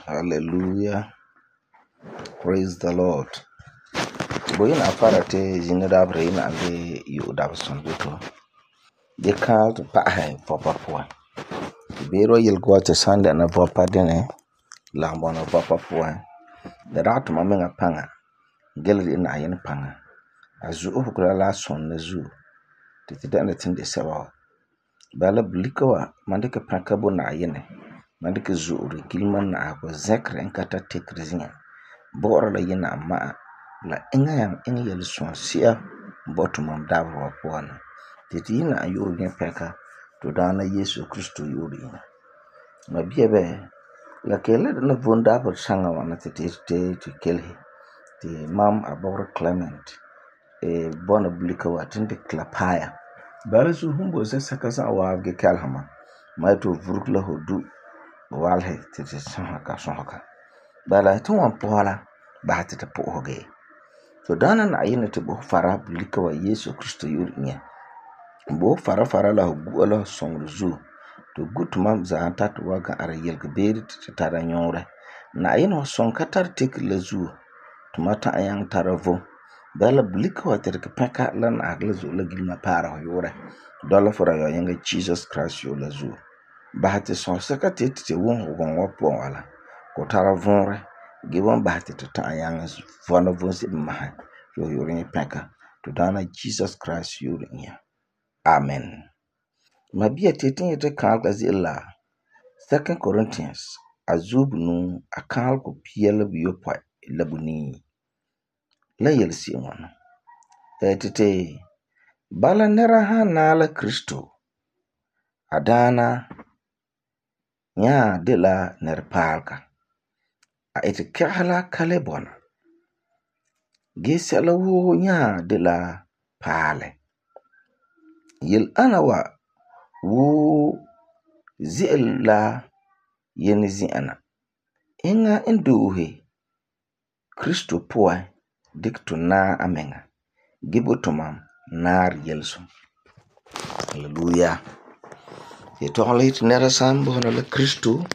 Hallelujah. Praise the Lord. Boyina fara te zina dabre ina le yu dabson bito. De kaal to pahe vopa puan. Bero yilgo te sande na vopa dene lambo na vopa puan. Da rato mamenga panga. Gelri ina ayin panga. Azu hukula la son na zu. Titi dana tinde sabawa. Bala blikawa mandike pankabo na ayine. Mandike zuuri gilman na ako zekre enkata tekri zinya. Bora la yina maa la inga yang inga yel son siya botu mam dabro wa puana. Titi yina ayuri nye peka to dana Yesu Kristo yuri yina. Mabia be la kele na vundabro sanga wana titi te kelhi. Ti mam aboro Clement bona blikawa tindi klapaya. Bala su humbo se sakasa awavge kalhama. Maito vurukla hodu walhe titi sonhaka. Bala tu wan pohala bahati te pohoge. So dana na ayine te bo fara blika wa Yesu Kristo yuri nye. Bo fara la gu ala songru zu. To gutu mam za antatu waga ara yelge beri te tada nyore. Na ayine wa song katar teki la zu. Tumata ayang tara vo. Bala blika wa terke peka lan agla zu la gilma para ho yore. Dola fora yo yenga Jesus Christ yo la zu. Bahati son saka te won wapo wala. Ko tara vonre. Gibbon bahati to ta yang vona vonsi maha. Yo yore peka. To dana Jesus Christ yore nya. Amen. Mabia tetin yete kanal kazi illa. 2 Corinthians. Azub nu akal ko piyala biyo pa labuni. La yelsi wana. Tete. Bala nera ha nala Kristo. Adana. Nya de la nerpalka. A iti kahala kalebona. Gisela wo nya de la pale. Yil anawa wo zi'el la yeni zi'ana. Inga induhe Kristo poa dikto na amenga. Gibotomam nar yelso. Hallelujah. Yetohla hit nera sambo na la Kristo.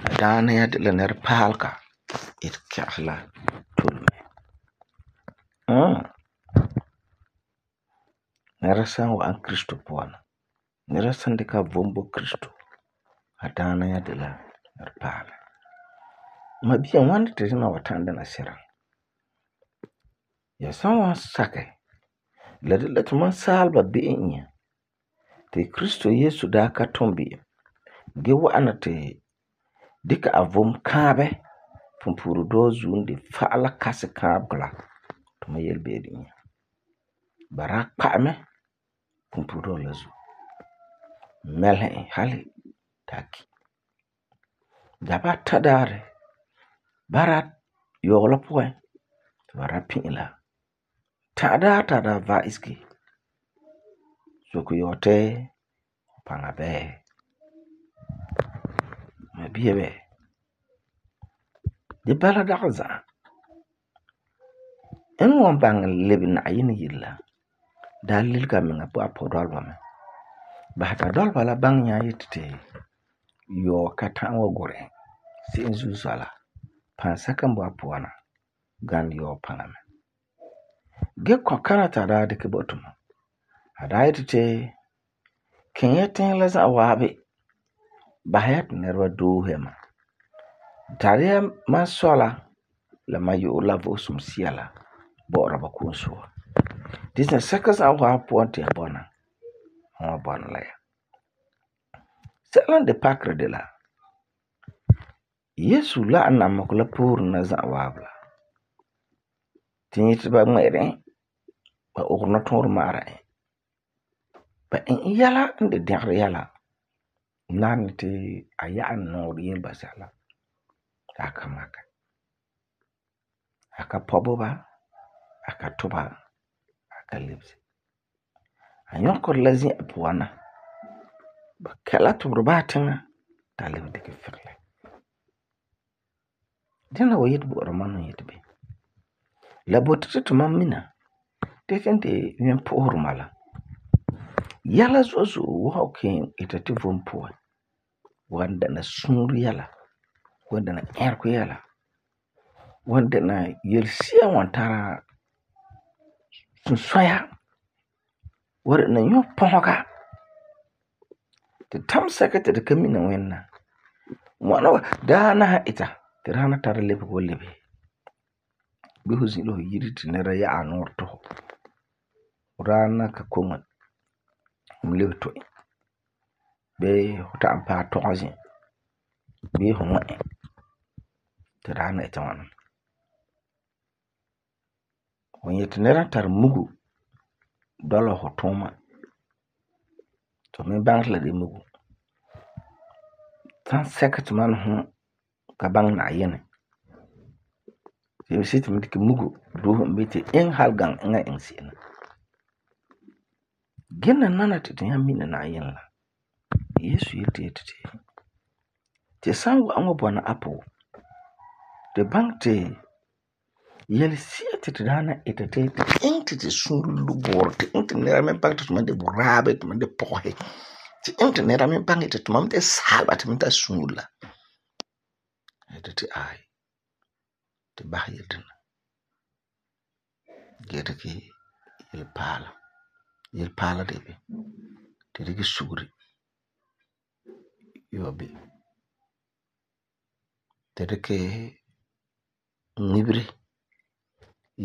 Adana ya de la nerpalka. It kahala tulme. Nerasan wa an Kristo puana. Nerasan deka vombo Kristo. Adana ya de la nerpala. Mabia wanda te zina watanda na sira. Ya sanwa sake. La tuman salba bi'inya. Te Kristo Yesu da ka tombi. Ge wa'ana te dika avom kabe. Pumpuru dozu ndi fa'ala kasi kabgla. Tuma yelbedi nya. Barak pa'ame. Pumpuru lazu. Melhe hali taki. Daba tadare. Barat yola poe. Barat pinila. Tada va iski. Soku yote. Pangabe. Mabiebe. Di bala dakza. Enu wambang lebi na ayini yilla. Dalil kami ngapu apo dolba me. Bahata dolba la bang nya yitite. Yo katangwa gore. Si inzu sala. Pansaka mbu apuana. Gan yo pangame. Ge kwa kanata da dike botuma. Hada yitite. Kenyetin laza awabi. Bahayat nerwa duhema. Tariya masola. La mayu la vosum siala. Bora bakunsuwa. Disna sakas awapuanti abona. Hwa bona la ya. Selan de pakre de la. Yesu la anamakula pur na za wabla. Tinyiti ba mwere. Ba ukuna tonru mara. Ba in yala inde dengre yala. Nani te ayaan nori yemba sala. Aka maka. Aka poboba. Aka toba. Aka libsi. Anyoko lazi apuana. Ba kala tubruba tinga. Talib dike fikle. Dina wa yitbu ramanu yitbe. La botete tumamina. Tekente yuen pohurmala. Yala zozo wauke itati vumpuwa. Wanda na sunru yala. wan dɛna ɛrego yɛla, wan dɛna yelesia wan tara sunsɔya, wan dɛna yɔpɔsega. Ti tam sɛka ti tu ka mina Wẽnna. Ŋwana wa daana han ita ti daana tara lebege wa lebehe. Bii fu zĩ la fu yire ti nɛra ya'ɛ a nuurɛ tu fu. Fu daana ka koŋe fu lebe tu e. Bii fu ta'am paɛ tɔgɛ zĩ. Bii fu ŋmɛ e ti daana ita ŋwana. Fu nyɛ ti nɛra n tari mugu dɔla fu tuuma, ti fu me baŋɛ ti la de mugu. Sansɛka ti mam ni fum ka baŋɛ Na'ayinɛ, ti yelese'ere ti mam dikɛ mugu doose e bii ti eŋɛ hali gaŋɛ eŋa n iŋɛ se'em la. Gee nanana ti tu nyaa mina Na'ayinɛ la, Yesu yeti ti san wa'am wa bɔna a pʋgẽ, tu baŋɛ ti yelesia ti tu daana ita ti eŋɛ ti tu suunre lubeorɛ, ti eŋɛ ti nɛra me baŋɛ ti tumam de boraabe, tumam de pɔgɔsi, ti eŋɛ ti nɛra me baŋɛ ti tumam de saaleba ti mam tara suunre la. Yeti ti aai, tu basɛ yele-dina gee dikɛ yelepaala de bini? Tu dikɛ sugeri yɔ bini? Tu dikɛ ŋmibere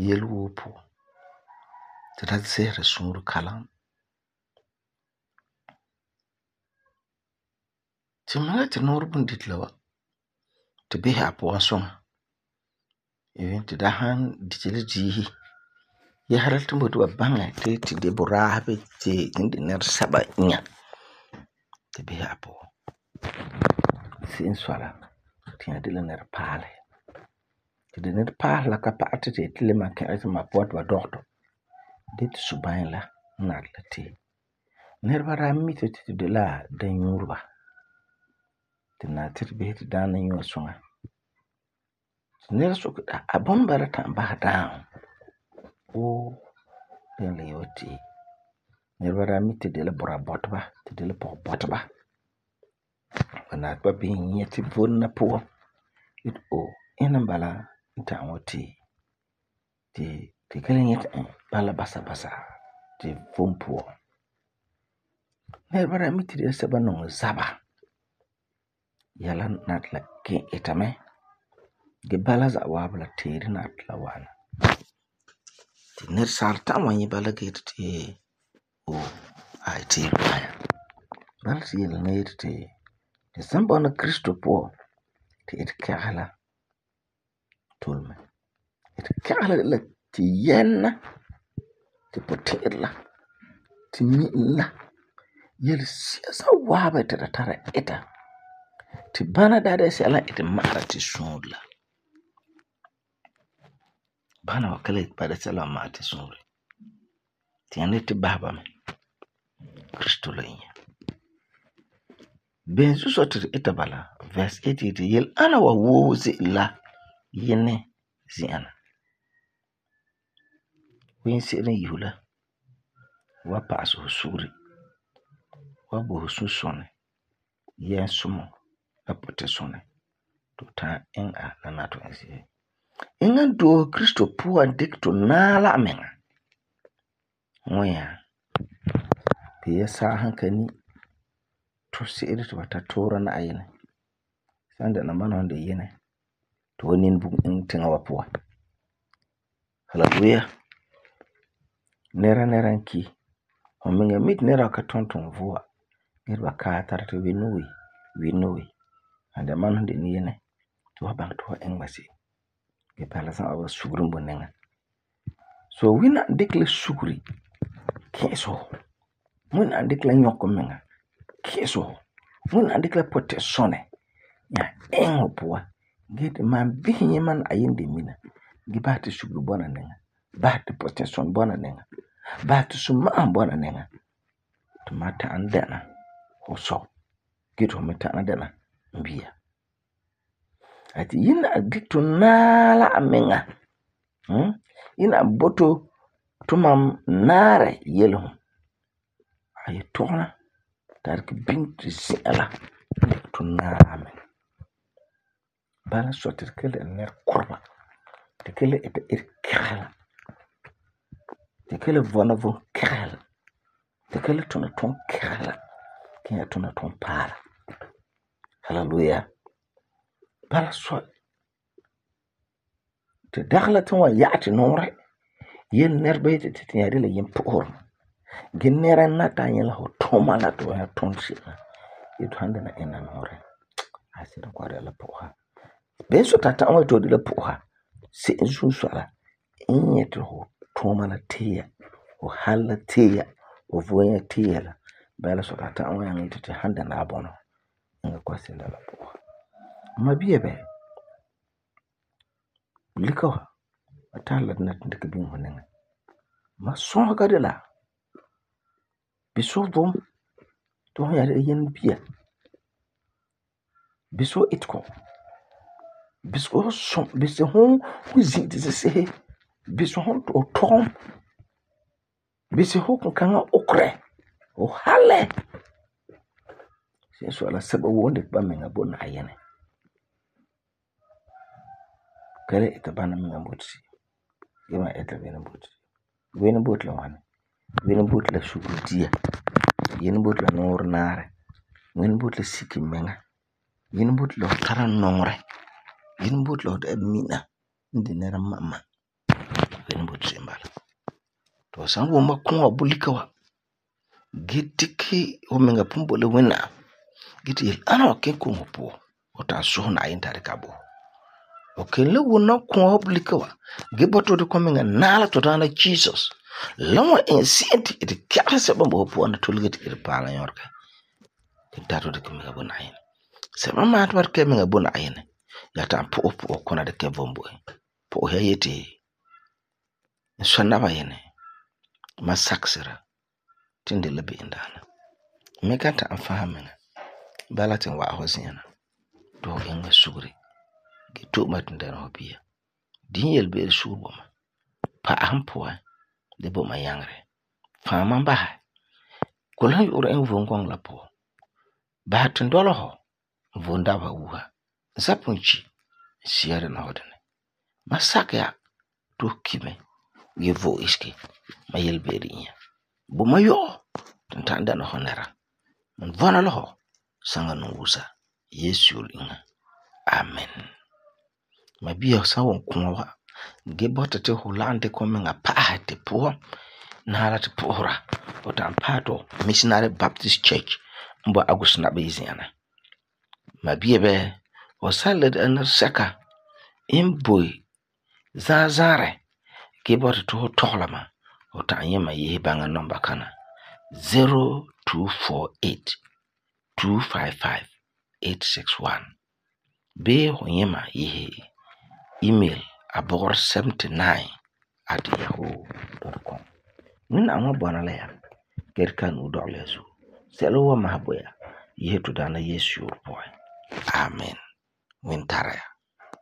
yele woo puan ti la zɛsera suunre kalam. Tu mina ti nɔɔrɛ bundito la wa, tu bisɛ a puan suŋa. Even tu daa san diti la diisi yɛsera ti ba boti ba baŋɛ ti tu de boraabe ti tu de nɛresɛba inya, tu bisɛ a puan. Se'em n sɔi la, tu nyaa de la nɛrepaalehe. Ti di nɛrepaalehe la ka pa'alɛ ti tu yeti tu le malum kɛ̃era tumam puan ti ba dɔgɛ tu dee ti subanɛ la n nari la tee. Nɛreba daa mi tu ti tu de la danyuureba. Ti nari ti tu bisɛ ti daana nyɛ wa suŋa. Ti nɛra soke ti a bɔna bala ta'am basɛ daaŋɔ? Dɛna la ye wa tee. Nɛreba daa mi ti tu de la buraa bɔteba, tu de la pɔgebɔteba. Ba nari ti ba bisɛ nyɛ tu vom la puan yeti ina n bala n ta'am wa tee. Ti tu ka le nyɛti e bala basa basa tu vom puan. Nɛreba daa mi ti tu de la sɛba n nɔŋɛ zaba. Yɛla nari ti la kẽ ita mɛ. Gee bala za'a waabi la teere nari ti la wa'ana. Ti nɛresaala ta'am wan nyɛ bala gee yeti teere paɛ ya. Bala ti yele-na yeti ti tu san bɔna Krista puan ti etekɛgesi la tole mɛ. Etekɛgesi la de la tu yɛmena, tu puti'irɛ la, tu mi'ilum la, yelesia za'a waabi ti tu tara ita ti bana daa de la sɛla n iti ma'ara tu suunre la. Bana wa ka le ba'am sɛla n ma'ɛ tu suunre. Ti nyaa ni ti basɛ ba mɛ Krista la inya. Beni zuo sɔi ti tu ita bala? Verse 8 yeti yele ana wa woo ze'ele la Yinɛ zi'an na. Fu yinse'ere n yi fu la, fu wan pa'asɛ fu sugeri, fu wan bo fu sunsɔnɛ, yɛnsumɔ la putisunɛ ti fu ta'am iŋɛ a la nari ti fu iŋɛ se'em. Eŋa n doose Krista puan dikɛ tu naɛ la amiŋa ŋwɛnyaa. Pia sa'a san ka ni tu se'ere ti ba ta tuura Na'ayinɛ, san dɛna mam la fu de Yinɛ, tu wan nini bugum iŋɛ tiŋa wa puan. Hallelujah. Nɛra n ki. Fu miŋa mi ti nɛra wa ka tum tuunɛ vua gee ti ba kaɛ tara ti we no. San dɛna mam la fu de Yinɛ, tu wan baŋɛ ti fu wan iŋɛ ba se'em. Gee bala za'a waabi la sugeri n boi niŋa. So Wina n dikɛ la sugeri ki'isɛ fu. Wina n dikɛ la nyɔkɛ miŋa ki'isɛ fu. Wina n dikɛ la putisunɛ nyaa iŋɛ fu puan gee ti man bisɛ nyɛ mam Na'ayinɛ de mina gee basɛ ti sugeri bɔna niŋa, basɛ ti putisunɛ bɔna niŋa, basɛ ti suma'ahum bɔna niŋa ti mam ta'am dɛna fu sɔ gee ti fu me ta'am dɛna n bia. Yina n dikɛ tu naɛ la amiŋa. Yina n bo tu tumam naarɛ yelesum. A ye tɔgena ti a dikɛ biŋe tu zi'an la tu naɛ la amiŋa. Bala so ti kele ner korba. Ti kele ita kegela. Ti kele vona von kegela. Ti kele tuna ton kegela. Kenya tuna ton paara. Hallelujah. Bala so ti dagla tin wa yaati nore. Yen nerba yeti ti yadi la yen puhur. Gen nera nata yela ho toma la to ya ton shina. Itu handa na ena nore. Asira kwa la puha. Ben so tata wa to di la puha. Si insun swala. Inyeti ho toma la teya. Ho hala teya. Ho voya teya la. Bala so tata wa yang iti handa na abono. Nga kwa sila la puha. Mabiye be. Likawa. Atala na tindika bin honenga. Ma son ka de la. Biso vom. To yari yen biya. Biso itko. Biso son. Biso hon. Kuzi disi sehe. Biso hon to tom. Biso hon kanga okre. O hale. Siya ala seba wonde ba menga bona ayene. Kale ita bana menga botsi. Gima ita bena botsi. Wena bot la wane. Wena bot la shukudia. Yen bot la nor nare. Wena bot la siki menga. Yen bot la kara nongre. Yen bot la mina. Ndi nera mama. Wena bot simbala. To san woma kunwa bulikawa. Gitiki omenga pumbo le wena. Giti yel ana ken kunwa po. Ota suhuna ayintari kabo. Okay, le wona kunwa bulikawa. Giboto de komenga nala to dana Jesus. Lawa insienti iti kya seba mbo po na tulgeti iti pala yorka. Dato de komenga bona ayene. Seba maat war kemenga bona ayene. Yata po kona de kevombo. Po ya yeti. Nswanaba yene. Masaksira. Tindi lebe indana. Mekata amfahamenga. Balatin wa ahosiyana. Do yenga sugri. Gitu matindana hobia. Dinyel beri sugboma. Pa ahampoa. Debo ma yangre. Faman baha. Kulan yura en vongong la po. Bahatin dolo ho. Vondaba wuha. Zapunchi. Siyare na hodene. Masak ya. To kime. Yevo iski. Mayel beri inya. Buma yo. Tantanda na honera. Mvana loho. Sanga nungusa. Yesu inga. Amen. Mabiya sawo kunwa. Gebota te hulande komenga paha te puho. Nala te puhora. Otampato Missionary Baptist Church. Mbo agusna beziana. Mabiya be. Osaled anar seka. Imboy. Zazare. Gebota to tohlama. Otanyema yehi banga nomba kana. 0248 255 861. Be honyema yehi email abor79@yahoo.com. Nina amwa bwana laya. Gerkan udoglesu. Selo wa mahaboya. Yehi tudana Yesu boy. Amen. Wintara.